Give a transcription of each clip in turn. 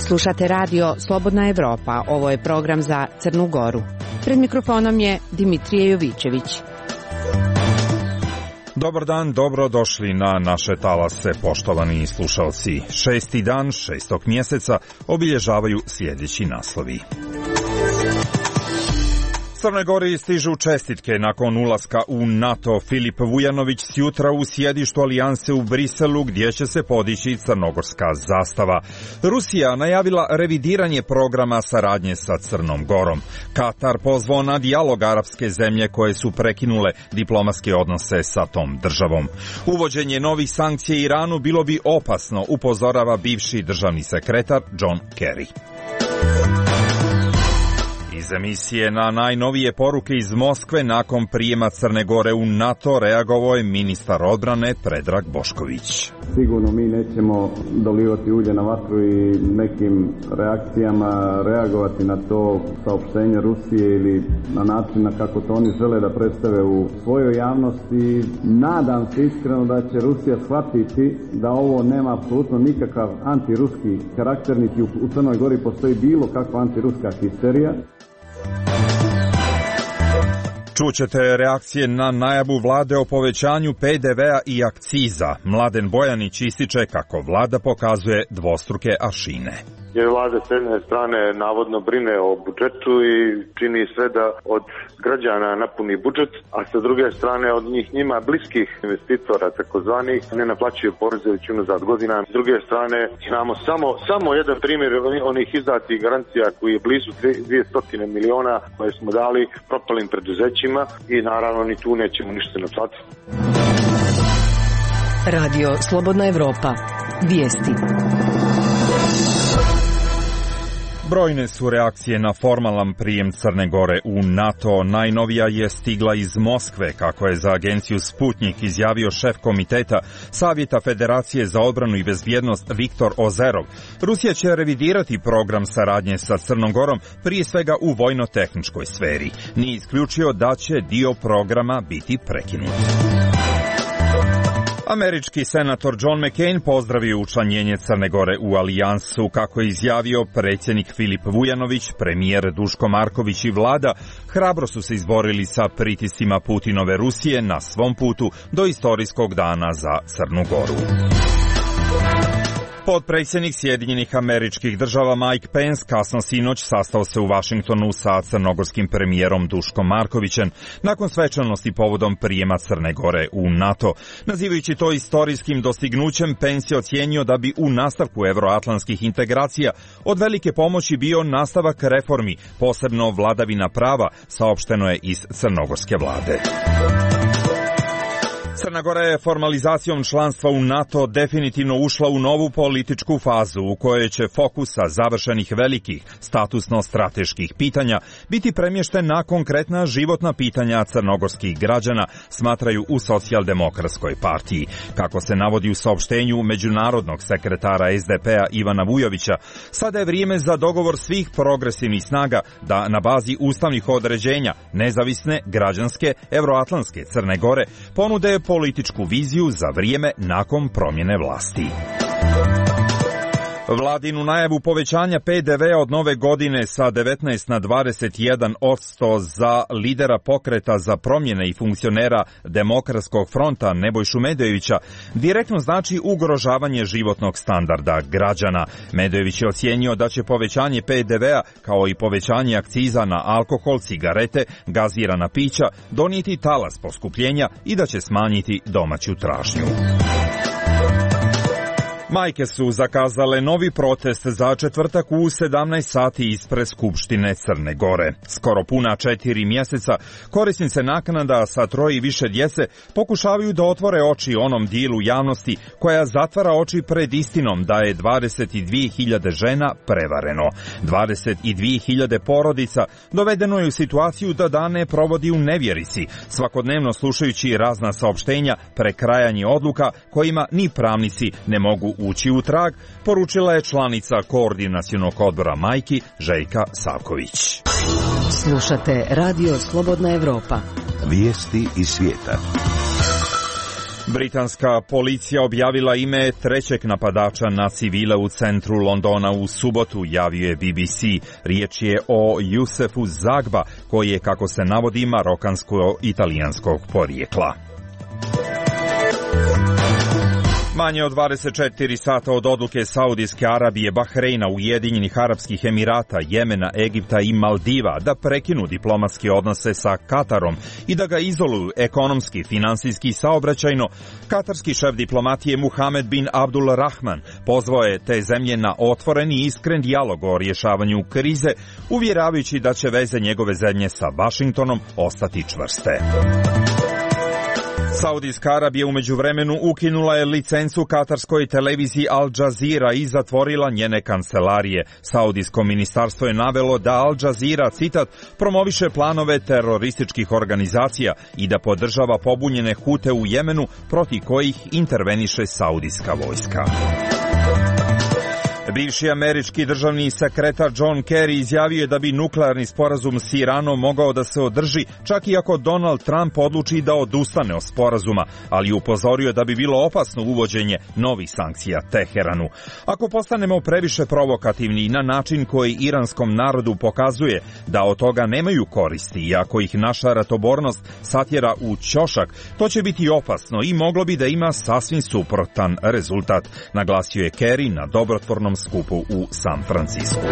Slušate radio Slobodna Evropa. Ovo je program za Crnu Goru. Pred mikrofonom je Dimitrije Jovićević. Dobar dan, dobro došli na naše talase, poštovani slušalci. 6. dan 6. mjeseca obilježavaju sljedeći naslovi. Crnoj Gori stižu čestitke nakon ulaska u NATO. Filip Vujanović sjutra u sjedištu alijanse u Briselu, gdje će se podići crnogorska zastava. Rusija najavila revidiranje programa saradnje sa Crnom Gorom. Katar pozvao na dijalog arapske zemlje koje su prekinule diplomatske odnose sa tom državom. Uvođenje novih sankcija Iranu bilo bi opasno, upozorava bivši državni sekretar John Kerry. Iz emisije na najnovije poruke iz Moskve nakon prijema Crne Gore u NATO reagovao je ministar odbrane Predrag Bošković. Sigurno mi nećemo dolivati ulje na vatru i nekim reakcijama reagovati na to saopštenje Rusije ili na način na kako to oni žele da predstave u svojoj javnosti. Nadam se iskreno da će Rusija shvatiti da ovo nema apsolutno nikakav antiruski karakter, niti u Crnoj Gori postoji bilo kakva antiruska histerija. Čućete reakcije na najavu vlade o povećanju PDV-a i akciza. Mladen Bojanić ističe kako vlada pokazuje dvostruke aršine. Jer vlada s jedne strane navodno brine o budžetu i čini sve da od građana napuni budžet, a sa druge strane od njima bliskih investitora takozvanih ne naplaćuju poreze već unazad godina. S druge strane imamo samo jedan primjer onih izdatih garancija koji je blizu 200 miliona koje smo dali propalim preduzećima i naravno ni tu nećemo ništa naplatiti. Radio Slobodna Evropa. Vijesti. Brojne su reakcije na formalan prijem Crne Gore u NATO. Najnovija je stigla iz Moskve, kako je za agenciju Sputnik izjavio šef komiteta Savjeta Federacije za odbranu i bezbjednost Viktor Ozerov. Rusija će revidirati program saradnje sa Crnom Gorom, prije svega u vojno-tehničkoj sferi. Nije isključio da će dio programa biti prekinut. Američki senator John McCain pozdravio učlanjenje Crne Gore u alijansu. Kako je izjavio predsjednik Filip Vujanović, premijer Duško Marković i vlada hrabro su se izborili sa pritiscima Putinove Rusije na svom putu do istorijskog dana za Crnu Goru. Potpredsjednik Sjedinjenih Američkih Država Mike Pence kasno sinoć sastao se u Vašingtonu sa crnogorskim premijerom Duškom Markovićem nakon svečanosti povodom prijema Crne Gore u NATO. Nazivajući to istorijskim dostignućem, Pence je ocijenio da bi u nastavku evroatlantskih integracija od velike pomoći bio nastavak reformi, posebno vladavina prava, saopšteno je iz crnogorske vlade. Crna Gora je formalizacijom članstva u NATO definitivno ušla u novu političku fazu u kojoj će fokus sa završenih velikih statusno-strateških pitanja biti premješten na konkretna životna pitanja crnogorskih građana, smatraju u Socijaldemokratskoj partiji. Kako se navodi u saopštenju međunarodnog sekretara SDP-a Ivana Vujovića, sada je vrijeme za dogovor svih progresivnih snaga da na bazi ustavnih određenja nezavisne, građanske, evroatlantske Crne Gore ponude političku viziju za vrijeme nakon promjene vlasti. Vladinu najavu povećanja PDV-a od nove godine sa 19 na 21% za lidera pokreta za promjene i funkcionera Demokratskog fronta Nebojšu Medojevića direktno znači ugrožavanje životnog standarda građana. Medojević je ocijenio da će povećanje PDV-a kao i povećanje akciza na alkohol, cigarete, gazirana pića donijeti talas poskupljenja i da će smanjiti domaću tražnju. Majke su zakazale novi protest za četvrtak u 17 sati ispred Skupštine Crne Gore. Skoro puna 4 mjeseca korisnice naknada sa 3 i više djece pokušavaju da otvore oči onom dijelu javnosti koja zatvara oči pred istinom da je 22.000 žena prevareno. 22.000 porodica dovedeno je u situaciju da dane provodi u nevjerici, svakodnevno slušajući razna saopštenja, prekrajanje odluka kojima ni pravnici ne mogu ući u trag, poručila je članica Koordinacionog odbora majki Željka Savković. Slušate Radio Slobodna Evropa. Vijesti iz svijeta. Britanska policija objavila ime trećeg napadača na civile u centru Londona u subotu, javio je BBC. Riječ je o Jusefu Zagba, koji je, kako se navodi, marokansko-italijanskog porijekla. Manje od 24 sata od odluke Saudijske Arabije, Bahreina, Ujedinjenih Arapskih Emirata, Jemena, Egipta i Maldiva da prekinu diplomatske odnose sa Katarom i da ga izoluju ekonomski, finansijski i saobraćajno, katarski šef diplomatije Muhamed bin Abdul Rahman pozvao je te zemlje na otvoren i iskren dijalog o rješavanju krize, uvjeravajući da će veze njegove zemlje sa Vašingtonom ostati čvrste. Saudijska Arabija u međuvremenu ukinula je licencu katarskoj televiziji Al Jazeera i zatvorila njene kancelarije. Saudijsko ministarstvo je navelo da Al Jazeera, citat, promoviše planove terorističkih organizacija i da podržava pobunjene Hute u Jemenu, protiv kojih interveniše saudijska vojska. Bivši američki državni sekretar John Kerry izjavio je da bi nuklearni sporazum s Iranom mogao da se održi čak i ako Donald Trump odluči da odustane od sporazuma, ali upozorio da bi bilo opasno uvođenje novih sankcija Teheranu. Ako postanemo previše provokativni na način koji iranskom narodu pokazuje da od toga nemaju koristi i ako ih naša ratobornost satjera u ćošak, to će biti opasno i moglo bi da ima sasvim suprotan rezultat, naglasio je Kerry na dobrotvornom skupu u San Francisku.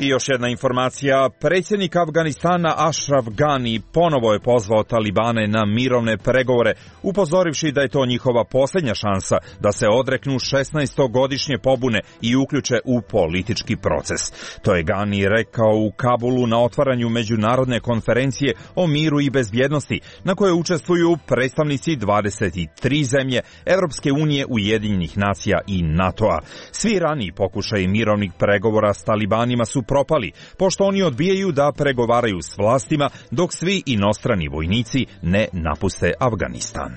I još jedna informacija, predsjednik Afganistana Ashraf Ghani ponovo je pozvao Talibane na mirovne pregovore, upozorivši da je to njihova posljednja šansa da se odreknu 16-godišnje pobune i uključe u politički proces. To je Ghani rekao u Kabulu na otvaranju međunarodne konferencije o miru i bezbjednosti, na kojoj učestvuju predstavnici 23 zemlje, Europske unije, Ujedinjenih nacija i NATO-a. Svi raniji pokušaji mirovnih pregovora s Talibanima su propali, pošto oni odbijaju da pregovaraju s vlastima dok svi inostrani vojnici ne napuste Afganistan.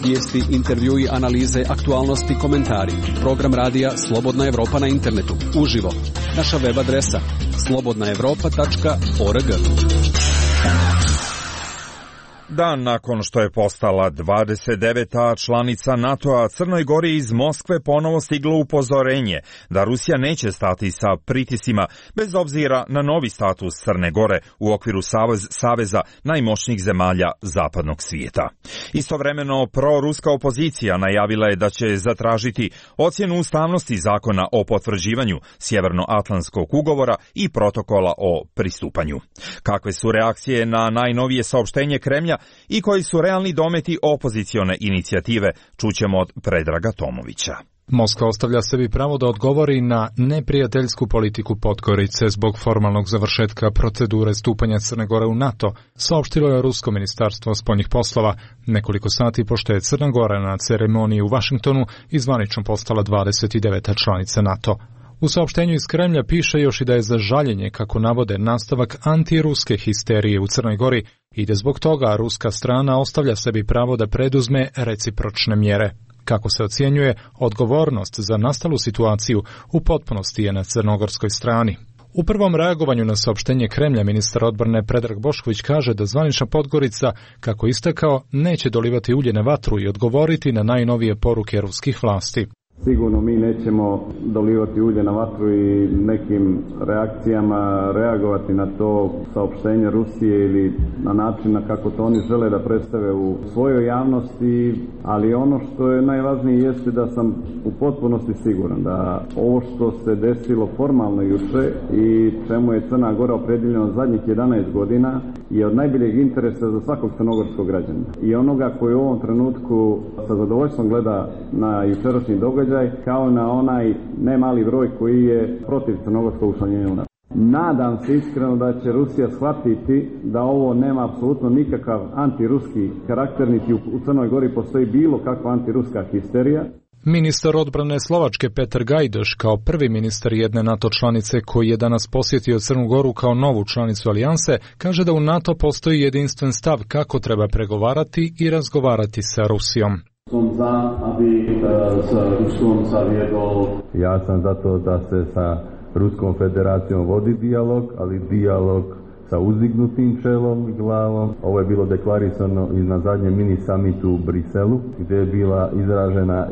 Vijesti, intervjui, analize, aktualnosti, komentari. Program radija Slobodna Evropa na internetu. Uživo. Naša web adresa slobodnaevropa.org. Dan nakon što je postala 29. članica NATO-a, Crnoj Gori iz Moskve ponovo stiglo upozorenje da Rusija neće stati sa pritisima bez obzira na novi status Crne Gore u okviru saveza najmoćnijih zemalja zapadnog svijeta. Istovremeno, proruska opozicija najavila je da će zatražiti ocjenu ustavnosti zakona o potvrđivanju Sjevernoatlantskog ugovora i protokola o pristupanju. Kakve su reakcije na najnovije saopštenje Kremlja i koji su realni dometi opozicione inicijative, čućemo od Predraga Tomovića. Moskva ostavlja sebi pravo da odgovori na neprijateljsku politiku Podgorice zbog formalnog završetka procedure stupanja Crne Gore u NATO, saopštilo je Rusko ministarstvo spoljnih poslova nekoliko sati pošto je Crna Gora na ceremoniji u Vašingtonu i zvanično postala 29. članica NATO. U saopštenju iz Kremlja piše još i da je za žaljenje, kako navode, nastavak antiruske histerije u Crnoj Gori i da zbog toga ruska strana ostavlja sebi pravo da preduzme recipročne mjere. Kako se ocjenjuje, odgovornost za nastalu situaciju u potpunosti je na crnogorskoj strani. U prvom reagovanju na saopštenje Kremlja ministar odbrane Predrag Bošković kaže da zvanična Podgorica, kako istakao, neće dolivati ulje na vatru i odgovoriti na najnovije poruke ruskih vlasti. Sigurno mi nećemo dolivati ulje na vatru i nekim reakcijama reagovati na to saopštenje Rusije ili na način na kako to oni žele da predstave u svojoj javnosti, ali ono što je najvažnije jeste da sam u potpunosti siguran da ovo što se desilo formalno juče i čemu je Crna Gora opredjeljena zadnjih 11 godina je od najboljeg interesa za svakog crnogorskog građana. I onoga koji u ovom trenutku sa zadovoljstvom gleda na jučerašnji događaj kao na onaj nemali broj koji je protiv crnogorskog učlanjenja u NATO. Nadam se iskreno da će Rusija shvatiti da ovo nema apsolutno nikakav antiruski karakter, niti u Crnoj Gori postoji bilo kakva antiruska histerija. Ministar odbrane Slovačke Petar Gajdoš, kao prvi ministar jedne NATO članice koji je danas posjetio Crnu Goru kao novu članicu alijanse, kaže da u NATO postoji jedinstven stav kako treba pregovarati i razgovarati sa Rusijom. Ja sam zato da se sa Ruskom federacijom vodi dijalog, ali dijalog sa uzdignutim čelom i glavom. Ovo je bilo deklarisano i na zadnjem mini summitu u Briselu, gdje je bila izražena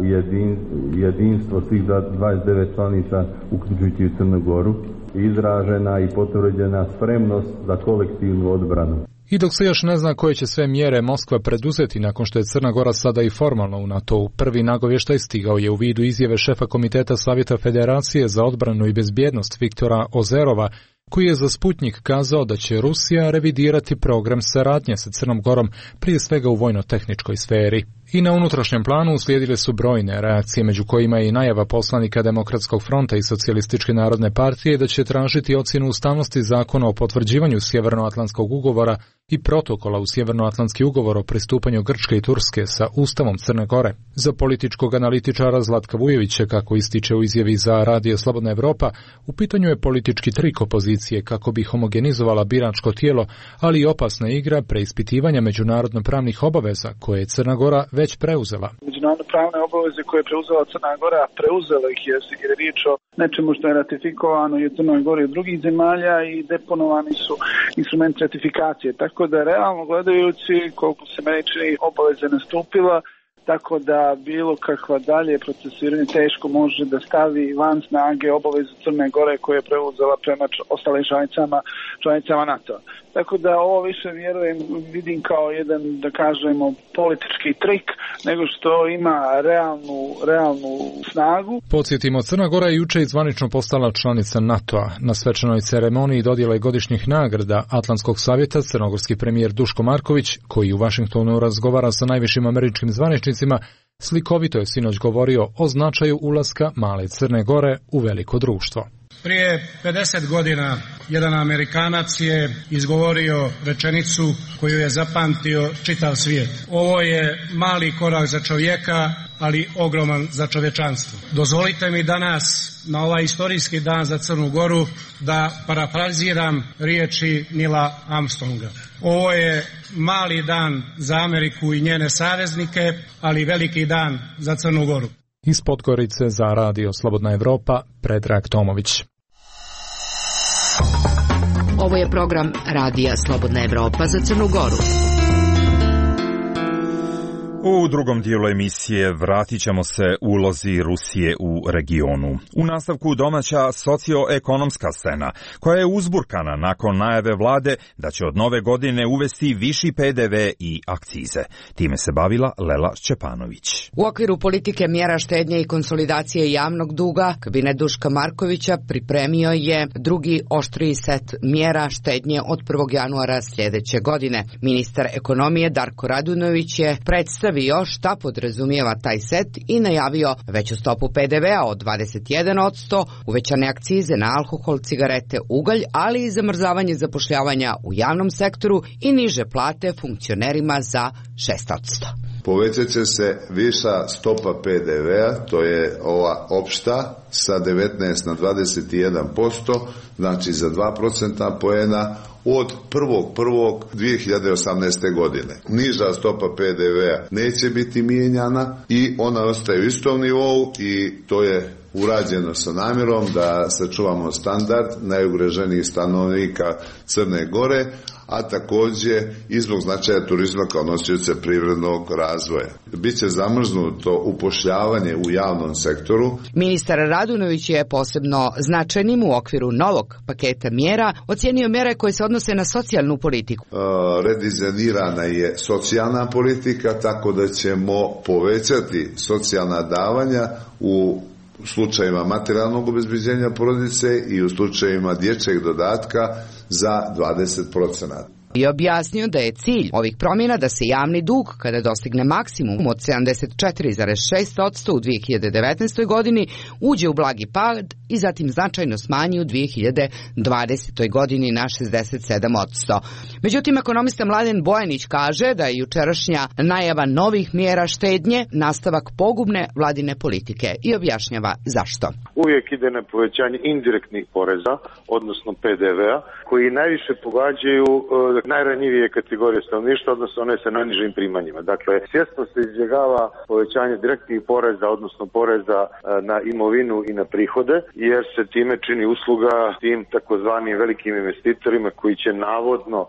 jedinstvo svih 29 članica, uključujući i Crnu Goru, izražena i potvrđena spremnost za kolektivnu odbranu. I dok se još ne zna koje će sve mjere Moskva preduzeti nakon što je Crna Gora sada i formalno u NATO-u, prvi nagovještaj stigao je u vidu izjave šefa Komiteta Savjeta Federacije za odbranu i bezbjednost Viktora Ozerova, koji je za Sputnik kazao da će Rusija revidirati program saradnje sa Crnom Gorom, prije svega u vojno-tehničkoj sferi. I na unutrašnjem planu uslijedile su brojne reakcije, među kojima je i najava poslanika Demokratskog fronta i Socijalističke narodne partije da će tražiti ocjenu ustavnosti zakona o potvrđivanju Sjevernoatlantskog ugovora i protokola u Sjevernoatlantski ugovor o pristupanju Grčke i Turske sa Ustavom Crne Gore. Za političkog analitičara Zlatka Vujovića, kako ističe u izjavi za Radio Slobodna Evropa, u pitanju je politički trik opozicije kako bi homogenizovala biračko tijelo, ali i opasna igra preispitivanja međunarodno-pravnih obaveza koje je Crna Gora već preuzela. Međunarodno-pravne obaveze koje je preuzela Crna Gora, preuzela ih jer je riječ o nečemu što je ratifikovano i u Crnoj Gori od drugih zemalja i deponovani su instrumenti ratifikacije. Tako da realno gledajući, koliko se meni čini, obaveze nastupila, tako da bilo kakva dalje procesiranje teško može da stavi van snage obaveze Crne Gore koje je preuzela prema ostalim članicama NATO. Tako da ovo više vidim kao jedan, da kažemo, politički trik nego što ima realnu snagu. Podsjetimo, Crna Gora je juče zvanično postala članica NATO-a. Na svečanoj ceremoniji dodjele godišnjih nagrada Atlantskog savjeta crnogorski premijer Duško Marković, koji u Vašingtonu razgovara sa najvišim američkim zvaničnicima, slikovito je sinoć govorio o značaju ulaska male Crne Gore u veliko društvo. Prije 50 godina jedan Amerikanac je izgovorio rečenicu koju je zapamtio čitav svijet. Ovo je mali korak za čovjeka, ali ogroman za čovječanstvo. Dozvolite mi danas, na ovaj istorijski dan za Crnu Goru, da parafraziram riječi Nila Armstronga. Ovo je mali dan za Ameriku i njene saveznike, ali veliki dan za Crnu Goru. Iz Podgorice za Radio Slobodna Evropa, Predrag Tomović. Ovo je program Radija Slobodna Evropa za Crnu Goru. U drugom dijelu emisije vratit ćemo se ulozi Rusije u regionu. U nastavku domaća socioekonomska scena, koja je uzburkana nakon najave vlade da će od nove godine uvesti viši PDV i akcize. Time se bavila Lela Šćepanović. U okviru politike mjera štednje i konsolidacije javnog duga, kabinet Duška Markovića pripremio je drugi oštriji set mjera štednje od 1. januara sljedeće godine. Ministar ekonomije Darko Radunović je predstavio šta podrazumijeva taj set i najavio veću stopu PDV-a od 21%, uvećane akcize na alkohol, cigarete, ugalj, ali i zamrzavanje zapošljavanja u javnom sektoru i niže plate funkcionerima za 6%. Povećat će se viša stopa PDV-a, to je ova opšta, sa 19 na 21%, znači za 2% poena od 1.1.2018. godine. Niža stopa PDV-a neće biti mijenjana i ona ostaje u istom nivou i to je urađeno sa namjerom da sačuvamo standard najugroženijih stanovnika Crne Gore, a također i zbog značaja turizma kao nosioca privrednog razvoja. Biće zamrznuto upošljavanje u javnom sektoru. Ministar Radunović je posebno značajnim u okviru novog paketa mjera ocijenio mjere koje se odnose na socijalnu politiku. Redizajnirana je socijalna politika, tako da ćemo povećati socijalna davanja u slučajevima materijalnog obezbeđenja porodice i u slučajevima dječjeg dodatka za 20%. I objasnio da je cilj ovih promjena da se javni dug, kada dostigne maksimum od 74,6% u 2019. godini, uđe u blagi pad i zatim značajno smanji u 2020. godini na 67%. Međutim, ekonomista Mladen Bojanić kaže da je jučerašnja najava novih mjera štednje nastavak pogubne vladine politike i objašnjava zašto. Uvijek ide na povećanje indirektnih poreza, odnosno PDV-a, koji najviše pogađaju najranjivije kategorije stanovništva, odnosno one sa najnižim primanjima. Dakle, svjesno se izbjegava povećanje direktnih poreza, odnosno poreza na imovinu i na prihode, jer se time čini usluga tim takozvanim velikim investitorima koji će navodno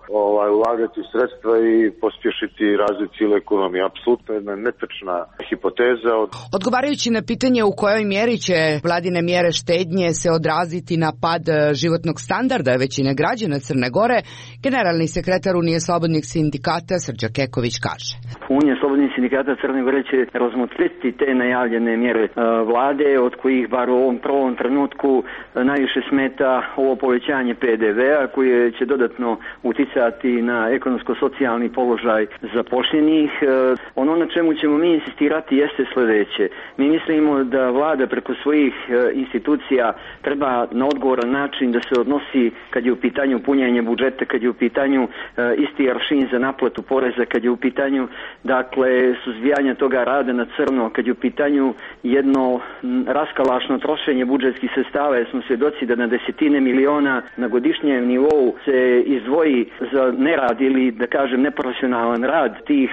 ulagati sredstva i pospješiti razvoj cijele ekonomije. Apsolutno jedna netočna hipoteza. Odgovarajući na pitanje u kojoj mjeri će vladine mjere štednje se odraziti na pad životnog standarda većine građana Crne Gore, generalni sekretar Unije slobodnih sindikata Srđa Keković kaže. Unija slobodnih sindikata Crne Gore će razmotriti te najavljene mjere vlade, od kojih bar u ovom prvom trenutku najviše smeta ovo povećanje PDV-a koje će dodatno uticati na ekonomsko-socijalni položaj zaposlenih. Ono na čemu ćemo mi insistirati jeste sljedeće. Mi mislimo da vlada preko svojih institucija treba na odgovoran način da se odnosi kad je u pitanju punjenje budžeta, kad je u pitanju isti aršin za naplatu poreza, kad je u pitanju suzbijanje toga rada na crno, kad je u pitanju jedno raskalašno trošenje budžetskih sredstava, jer smo svjedoci da na desetine miliona na godišnjem nivou se izdvoji za nerad ili da kažem neprofesionalan rad tih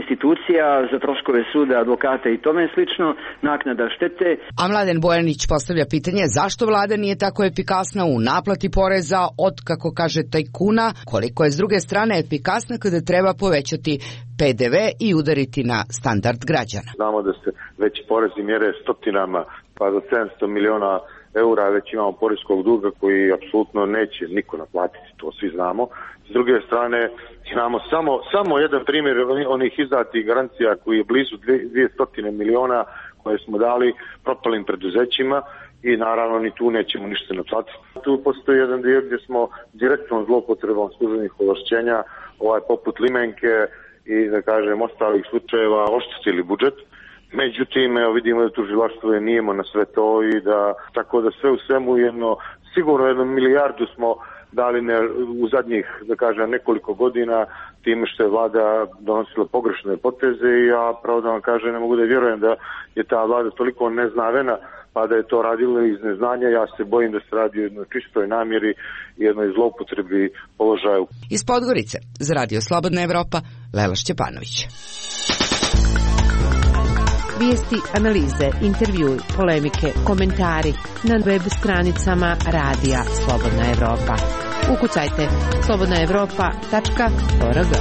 institucija za troškove suda, advokata i tome slično, naknada štete. A Mladen Bojanić postavlja pitanje zašto vlada nije tako efikasna u naplati poreza od, kako kaže, tajkuna, koliko je s druge strane efikasna kada treba povećati PDV i udariti na standard građana. Znamo da se već porezi mjere stotinama pa do 700 miliona eura, već imamo poreskog duga koji apsolutno neće niko naplatiti, to svi znamo. S druge strane imamo samo jedan primjer onih izdatih garancija koji je blizu 200 miliona koje smo dali propalim preduzećima i naravno ni tu nećemo ništa naplatiti. Tu postoji jedan dio gdje smo direktnom zloupotrebom službenih ovlašćenja poput limenke i da kažem ostalih slučajeva oštetili budžet. Međutim, vidimo da tužilaštvo je nijemo na sve to i da tako da sve u svemu sigurno 1 milijardu smo dali u zadnjih, da kažem, nekoliko godina time što je vlada donosila pogrešne poteze i ja pravo da vam kažem ne mogu da vjerujem da je ta vlada toliko neznavena pa da je to radila iz neznanja. Ja se bojim da se radi o jednoj čistoj namjeri i jednoj zloupotrebi položaju. Iz Podgorice za Radio Slobodna Evropa, Lela Šćepanović. Vijesti, analize, intervjui, polemike, komentari na web stranicama Radija Slobodna Evropa. Ukucajte slobodnaevropa.org.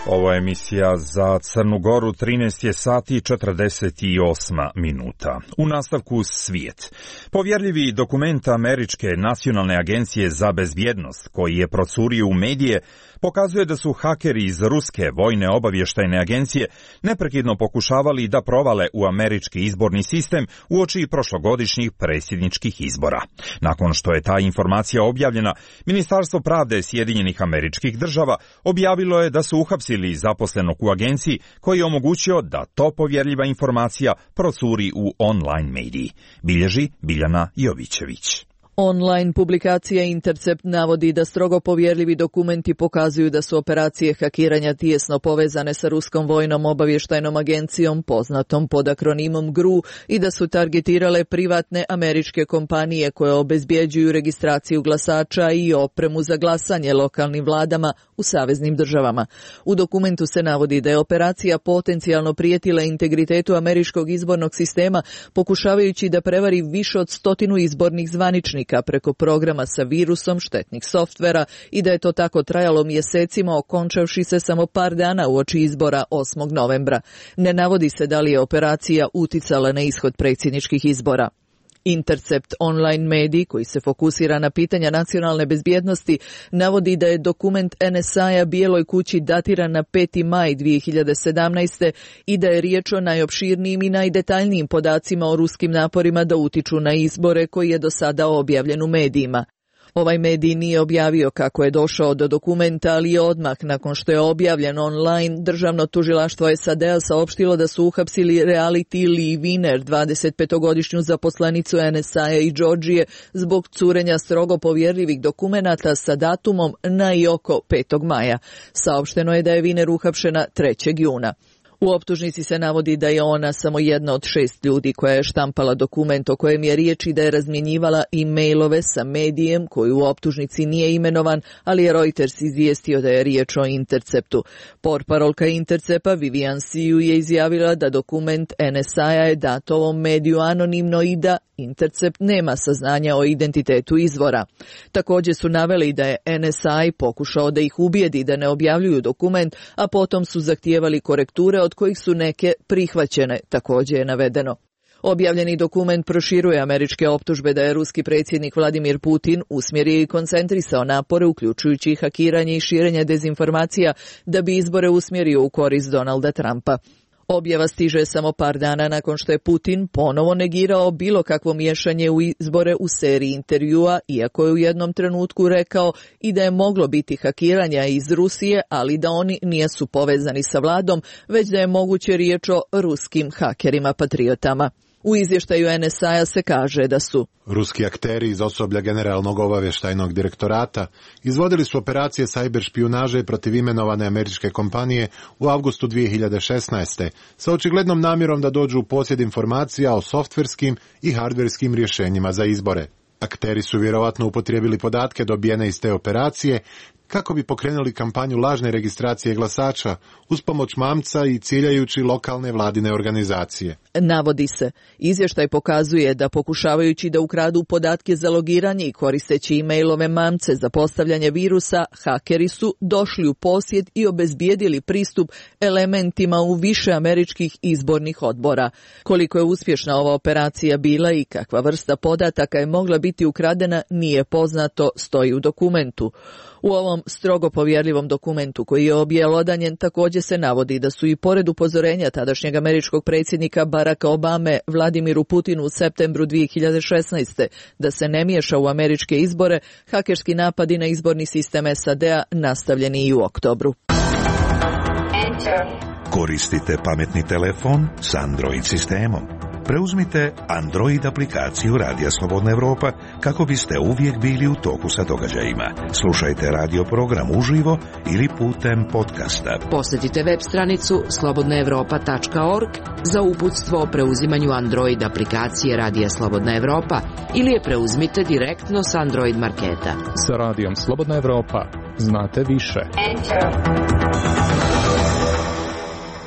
Ovo je emisija za Crnu Goru, 13 je sati i 48 minuta. U nastavku svijet. Povjerljivi dokument Američke nacionalne agencije za bezbjednost, koji je procurio u medije, pokazuje da su hakeri iz Ruske vojne obavještajne agencije neprekidno pokušavali da provale u američki izborni sistem uoči prošlogodišnjih predsjedničkih izbora. Nakon što je ta informacija objavljena, Ministarstvo pravde Sjedinjenih Američkih Država objavilo je da su uhapsili zaposlenog u agenciji koji je omogućio da to povjerljiva informacija procuri u online mediji. Bilježi Biljana Jovićević. Online publikacija Intercept navodi da strogo povjerljivi dokumenti pokazuju da su operacije hakiranja tijesno povezane sa Ruskom vojnom obavještajnom agencijom, poznatom pod akronimom GRU, i da su targetirale privatne američke kompanije koje obezbjeđuju registraciju glasača i opremu za glasanje lokalnim vladama u saveznim državama. U dokumentu se navodi da je operacija potencijalno prijetila integritetu američkog izbornog sistema, pokušavajući da prevari više od 100 izbornih zvaničnika preko programa sa virusom štetnih softvera i da je to tako trajalo mjesecima, okončavši se samo par dana uoči izbora 8. novembra. Ne navodi se da li je operacija uticala na ishod predsjedničkih izbora. Intercept online medij, koji se fokusira na pitanja nacionalne bezbjednosti, navodi da je dokument NSA-a Bijeloj kući datiran na 5. maj 2017. i da je riječ o najopširnijim i najdetaljnijim podacima o ruskim naporima da utiču na izbore koji je do sada objavljen u medijima. Ovaj medij nije objavio kako je došao do dokumenta, ali je odmah nakon što je objavljen online, državno tužilaštvo SAD-a saopštilo da su uhapsili reality Lee Wiener, 25-godišnju zaposlenicu NSA i Georgije, zbog curenja strogo povjerljivih dokumenata sa datumom na i oko 5. maja. Saopšteno je da je Wiener uhapšena 3. juna. U optužnici se navodi da je ona samo jedna od 6 ljudi koja je štampala dokument o kojem je riječ i da je razmjenjivala e-mailove sa medijem koji u optužnici nije imenovan, ali je Reuters izvijestio da je riječ o Interceptu. Portparolka Intercepta Vivian Siu je izjavila da dokument NSA-a je dat ovom mediju anonimno i da Intercept nema saznanja o identitetu izvora. Također su naveli da je NSA pokušao da ih ubijedi da ne objavljuju dokument, a potom su zahtijevali korekture od kojih su neke prihvaćene, također je navedeno. Objavljeni dokument proširuje američke optužbe da je ruski predsjednik Vladimir Putin usmjerio i koncentrisao napore, uključujući hakiranje i širenje dezinformacija, da bi izbore usmjerio u korist Donalda Trumpa. Objava stiže samo par dana nakon što je Putin ponovo negirao bilo kakvo miješanje u izbore u seriji intervjua, iako je u jednom trenutku rekao i da je moglo biti hakiranja iz Rusije, ali da oni nisu povezani sa vladom, već da je moguće riječ o ruskim hakerima patriotama. U izvještaju NSA-a se kaže da su ruski akteri iz osoblja Generalnog obavještajnog direktorata izvodili su operacije sajber špijunaže protiv imenovane američke kompanije u avgustu 2016. sa očiglednom namjerom da dođu u posjed informacija o softverskim i hardverskim rješenjima za izbore. Akteri su vjerovatno upotrijebili podatke dobijene iz te operacije kako bi pokrenuli kampanju lažne registracije glasača uz pomoć mamca i ciljajući lokalne vladine organizacije. Navodi se, izvještaj pokazuje da pokušavajući da ukradu podatke za logiranje i koristeći e-mailove mamce za postavljanje virusa, hakeri su došli u posjed i obezbijedili pristup elementima u više američkih izbornih odbora. Koliko je uspješna ova operacija bila i kakva vrsta podataka je mogla biti ukradena nije poznato, stoji u dokumentu. U ovom strogo povjerljivom dokumentu koji je objelodanjen također se navodi da su i pored upozorenja tadašnjeg američkog predsjednika Baracka Obame Vladimiru Putinu u septembru 2016. da se ne miješa u američke izbore, hakerski napadi na izborni sistem SAD-a nastavljeni i u oktobru. Koristite pametni telefon s Android sistemom. Preuzmite Android aplikaciju Radija Slobodna Evropa kako biste uvijek bili u toku sa događajima. Slušajte radio program uživo ili putem podcasta. Posjetite web stranicu slobodnaevropa.org za uputstvo o preuzimanju Android aplikacije Radija Slobodna Evropa ili je preuzmite direktno s Android marketa. Sa Radijom Slobodna Evropa znate više.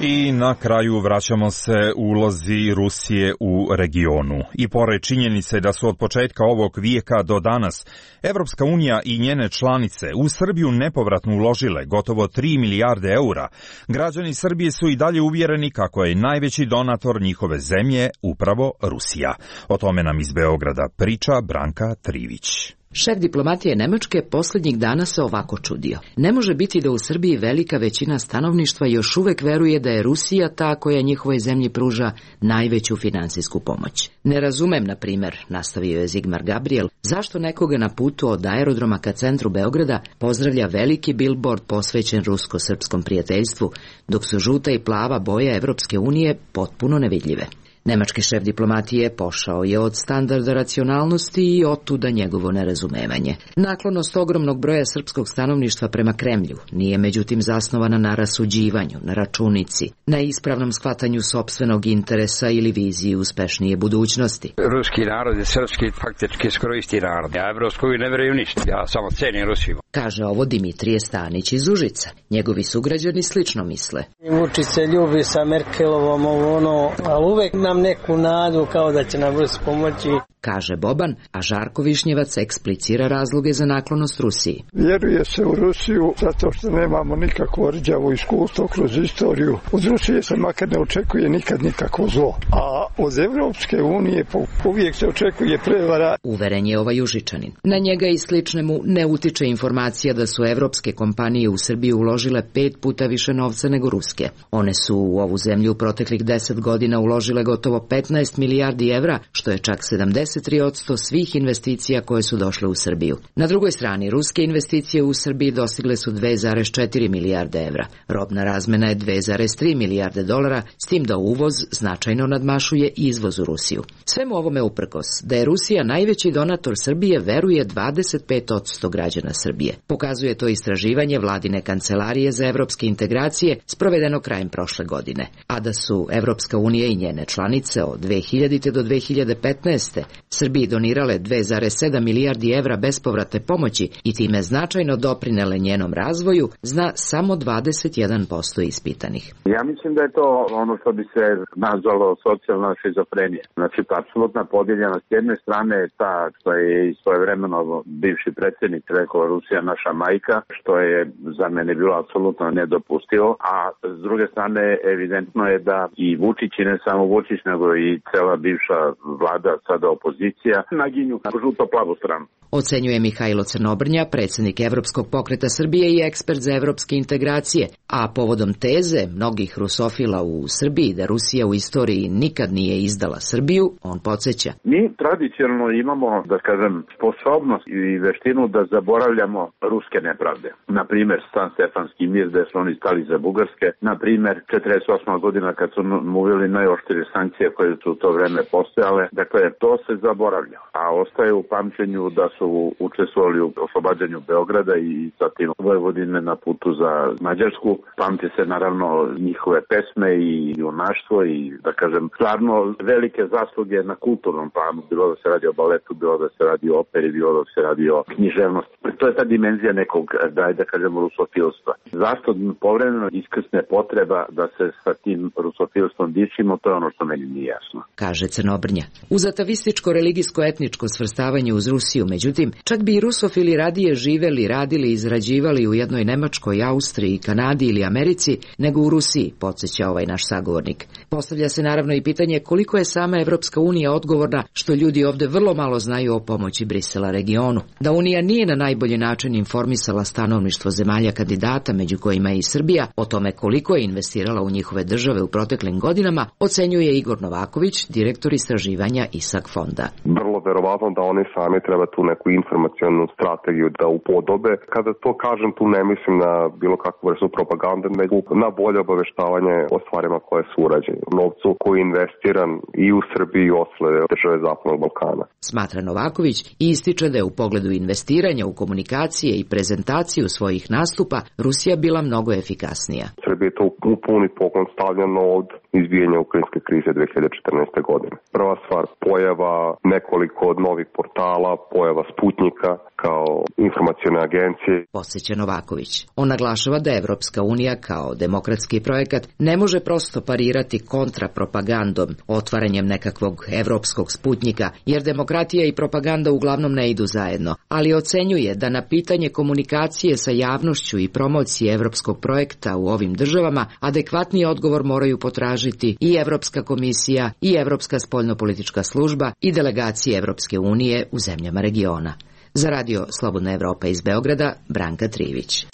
I na kraju vraćamo se ulozi Rusije u regionu. I pored činjenice da su od početka ovog vijeka do danas Evropska unija i njene članice u Srbiju nepovratno uložile gotovo 3 milijarde eura, građani Srbije su i dalje uvjereni kako je najveći donator njihove zemlje upravo Rusija. O tome nam iz Beograda priča Branka Trivić. Šef diplomatije Nemačke posljednjih dana se ovako čudio. Ne može biti da u Srbiji velika većina stanovništva još uvek veruje da je Rusija ta koja njihovoj zemlji pruža najveću finansijsku pomoć. Ne razumem, na primjer, nastavio je Zigmar Gabriel, zašto nekoga na putu od aerodroma ka centru Beograda pozdravlja veliki billboard posvećen rusko-srpskom prijateljstvu, dok su žuta i plava boja Evropske unije potpuno nevidljive. Nemački šef diplomatije pošao je od standarda racionalnosti i otuda njegovo nerazumevanje. Naklonost ogromnog broja srpskog stanovništva prema Kremlju nije međutim zasnovana na rasuđivanju, na računici, na ispravnom shvatanju sopstvenog interesa ili viziji uspešnije budućnosti. Ruski narod je srpski faktički skoro isti narod. Ja Evropskoj ne vjerujem ništa, ja samo cenim Rusiju. Kaže ovo Dimitrije Stanić iz Užica. Njegovi sugrađani slično misle. Vučić se ljubi sa Merkelovom, ali uvek nam neku nadu kao da će nam Rus pomoći. Kaže Boban, a Žarko Višnjevac eksplicira razloge za naklonost Rusiji. Vjeruje se u Rusiju zato što nemamo nikakvo rđavo iskustvo kroz istoriju. Od Rusije se makar ne očekuje nikad nikakvo zlo. A od Evropske unije uvijek se očekuje prevara. Uveren je ovaj Užičanin. Na njega i sličnemu ne utiče informacija da su evropske kompanije u Srbiju uložile 5 puta više novca nego ruske. One su u ovu zemlju u proteklih 10 godina uložile gotovo 15 milijardi evra, što je čak 53% svih investicija koje su došle u Srbiju. Na drugoj strani, ruske investicije u Srbiji dostigle su 2,4 milijarde evra. Robna razmena je 2,3 milijarde dolara, s tim da uvoz značajno nadmašuje izvoz u Rusiju. Svemu ovome uprkos, da je Rusija najveći donator Srbije, veruje 25% građana Srbije. Pokazuje to istraživanje vladine kancelarije za evropske integracije sprovedeno krajem prošle godine. A da su Evropska unija i njene članice od 2000. do 2015. Srbiji donirale 2,7 milijardi evra bespovratne pomoći i time značajno doprinele njenom razvoju, zna samo 21% ispitanih. Ja mislim da je to ono što bi se nazvalo socijalna šizofrenija. Znači, apsolutna podijeljenost. S jedne strane je ta što je i svojevremeno bivši predsjednik rekao Rusija naša majka, što je za mene bilo apsolutno nedopustivo, a s druge strane evidentno je da i Vučić, i ne samo Vučić, nego i cela bivša vlada, sada opozicija, naginju na žuto-plavu stranu. Ocenjuje Mihajlo Crnobrnja, predsjednik Evropskog pokreta Srbije i ekspert za evropske integracije, a povodom teze mnogih rusofila u Srbiji da Rusija u istoriji nikad nije izdala Srbiju, on podsjeća. Mi tradicionalno imamo, da kažem, sposobnost i veštinu da zaboravljamo ruske nepravde. Na primjer, San Stefanski mir, gde su oni stali za Bugarske. Na primjer, 48. godina kad su uveli najoštrije sankcije koje su u to vreme postojale. Dakle, to se zaboravlja. A ostaje u pamćenju da su učestvovali u oslobađanju Beograda i zatim Vojvodine na putu za Mađarsku. Pamti se naravno njihove pesme i junaštvo i, da kažem, stvarno velike zasluge na kulturnom planu. Bilo da se radi o baletu, bilo da se radi o operi, bilo da se radi o književnosti. To je ta dimenzija nekog, da kažemo, rusofilstva. Zašto povremeno iskrsne potreba da se sa tim rusofilstvom dičimo, to je ono što meni nije jasno. Kaže Crnobrnja. Uz atavističko-religijsko-etničko svrstavanje uz Rusiju, međutim, čak bi i rusofili radije živeli, radili i izrađivali u jednoj Nemačkoj, Austriji, Kanadi ili Americi, nego u Rusiji, podsjeća ovaj naš sagovornik. Postavlja se naravno i pitanje koliko je sama Evropska unija odgovorna što ljudi ovde vrlo malo znaju o pomoći Brisela regionu. Da Unija nije na najbolji način informisala stanovništvo zemalja kandidata, među kojima je i Srbija, o tome koliko je investirala u njihove države u proteklim godinama, ocenjuje Igor Novaković, direktor istraživanja ISAK fonda. Vrlo verovatno da oni sami treba tu neku informacionu strategiju da upodobe. Kada to kažem, tu ne mislim na bilo kakvu vrstu propagande, nego na bolje obaveštavanje o stvarima koje su urađene. Novcu koji je investiran i u Srbiji i ostale države Zapadnog Balkana. Smatra Novaković i ističe da je u pogledu investiranja u komunikacije i prezentaciju svojih nastupa Rusija bila mnogo efikasnija. Srbija je to u puni poklon stavljeno od izbijanja ukrajinske krize 2014. godine. Prva stvar, pojava nekoliko novih portala, pojava Sputnika kao informacione agencije. Podsjeća Novaković. On naglašava da Evropska unija kao demokratski projekat ne može prosto parirati kontrapropagandom, otvaranjem nekakvog evropskog Sputnika, jer demokratija i propaganda uglavnom ne idu zajedno, ali ocenjuje da na pitanje komunikacije sa javnošću i promocije evropskog projekta u ovim državama adekvatni odgovor moraju potražiti i Evropska komisija i Evropska spoljnopolitička služba i delegacije Evropske unije u zemljama regiona. Za Radio Slobodna Evropa iz Beograda, Branka Trivić.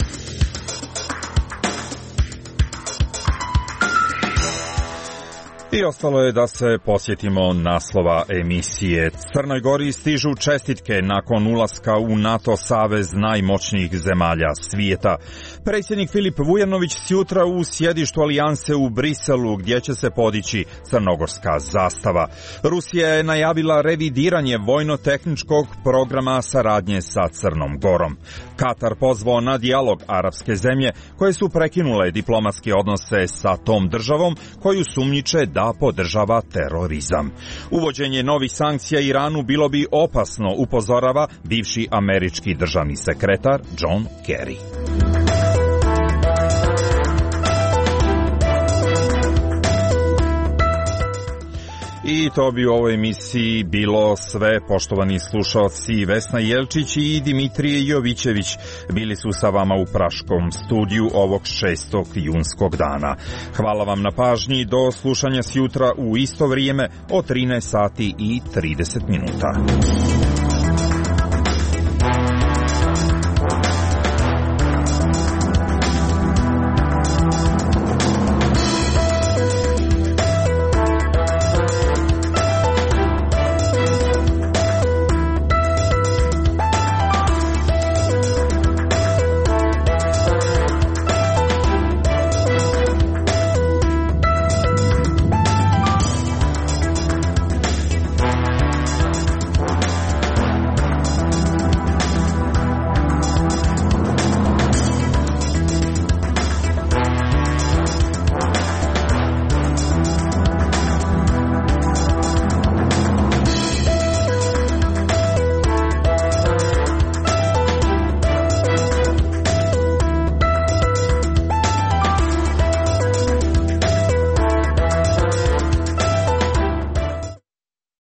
I ostalo je da se posjetimo naslova emisije. Crnoj Gori stižu čestitke nakon ulaska u NATO savez najmoćnijih zemalja svijeta. Predsjednik Filip Vujanović sjutra u sjedištu alijanse u Briselu, gdje će se podići crnogorska zastava. Rusija je najavila revidiranje vojno-tehničkog programa saradnje sa Crnom Gorom. Katar pozvao na dijalog arapske zemlje koje su prekinule diplomatske odnose sa tom državom koju sumnjiče da podržava terorizam. Uvođenje novih sankcija Iranu bilo bi opasno, upozorava bivši američki državni sekretar John Kerry. I to bi u ovoj emisiji bilo sve, poštovani slušalci. Vesna Jelčić i Dimitrije Jovićević bili su sa vama u praškom studiju ovog 6. junskog dana. Hvala vam na pažnji, do slušanja sjutra u isto vrijeme od 13 sati i 30 minuta.